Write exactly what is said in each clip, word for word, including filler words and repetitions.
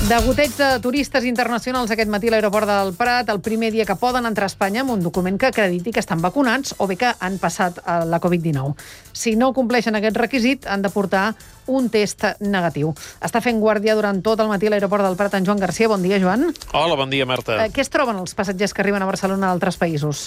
Degoteig de turistes internacionals aquest matí a l'aeroport del Prat, el primer dia que poden entrar a Espanya amb un document que acrediti que estan vacunats o bé que han passat la covid dinou. Si no compleixen aquest requisit, han de portar un test negatiu. Està fent guàrdia durant tot el matí a l'aeroport del Prat en Joan Garcia. Bon dia, Joan. Hola, bon dia, Marta. Eh, què es troben els passatgers que arriben a Barcelona d'altres països?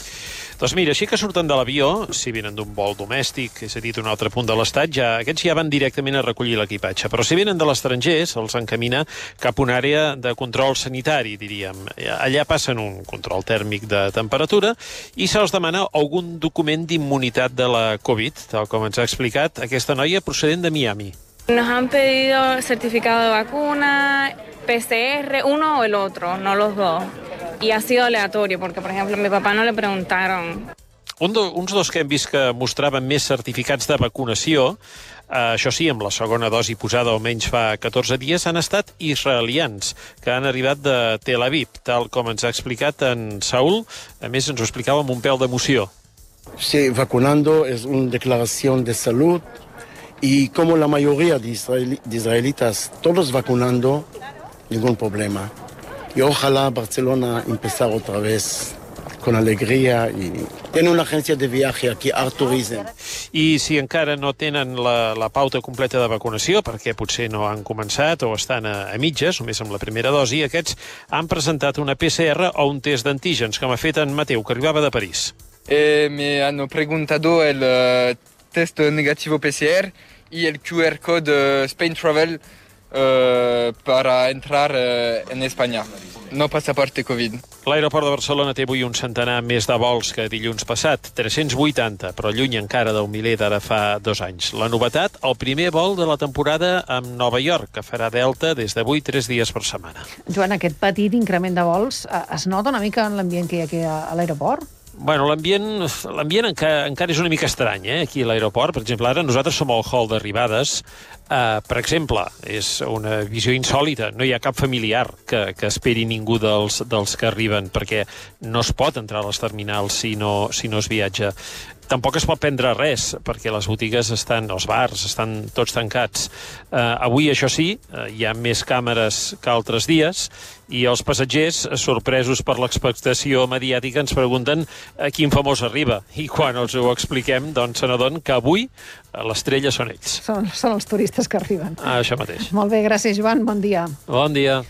Doncs mira, així que surten de l'avió, si venen d'un vol domèstic, és a dir, d'un altre punt de l'estat, ja, aquests ja van directament a recollir l'equipatge. Però si venen de l'estranger, se'ls encamina cap a una àrea de control sanitari, diríem. Allà passen un control tèrmic de temperatura i se'ls demana algun document d'immunitat de la Covid, tal com ens ha explicat aquesta noia procedent de Miami. Nos han pedido certificado de vacuna, P C R, uno o el otro, no los dos. Y ha sido aleatorio, porque, por ejemplo, a mi papá no le preguntaron. Un do, uns dos que hem vist que mostraven més certificats de vacunació, eh, això sí, amb la segona dosi posada almenys fa catorze dies, han estat israelians, que han arribat de Tel Aviv, tal com ens ha explicat en Saúl. A més, ens ho explicava amb un pèl d'emoció. Sí, vacunando es una declaración de salud. Y como la mayoría de, israel, de israelitas, todos vacunando, ningún problema. Y ojalá Barcelona empezar otra vez con alegría. Y tiene una agencia de viaje aquí, Art Tourism. I si encara no tenen la, la pauta completa de vacunació, perquè potser no han començat o estan a, a mitges, només amb la primera dosi, aquests han presentat una P C R o un test d'antígens, com ha fet en Mateu, que arribava de París. Eh, me han preguntado el uh, test negativo P C R y el Q R code Spain Travel uh, para entrar uh, en España. No pasaporte Covid. L'aeroport de Barcelona té avui un centenar més de vols que dilluns passat, tres-cents vuitanta, però lluny encara del miler d'ara fa dos anys. La novetat, el primer vol de la temporada amb Nova York, que farà Delta des d'avui tres dies per setmana. Joan, aquest petit increment de vols es nota una mica en l'ambient que hi ha aquí a l'aeroport? Bueno, l'ambient l'ambient encara, encara és una mica estrany, eh, aquí a l'aeroport. Per exemple, ara nosaltres som al hall d'arribades. Uh, per exemple, és una visió insòlita. No hi ha cap familiar que, que esperi ningú dels, dels que arriben, perquè no es pot entrar a les terminals si no, si no es viatja. Tampoc es pot prendre res, perquè les botigues estan, els bars estan tots tancats. Uh, avui, això sí, uh, hi ha més càmeres que altres dies, i els passatgers, sorpresos per l'expectació mediàtica, ens pregunten a quin famós arriba. I quan els ho expliquem, doncs se n'adonen que avui l'estrella són ells. Són, són els turistes que arriben. Ah, això mateix. Molt bé, gràcies, Joan. Bon dia. Bon dia.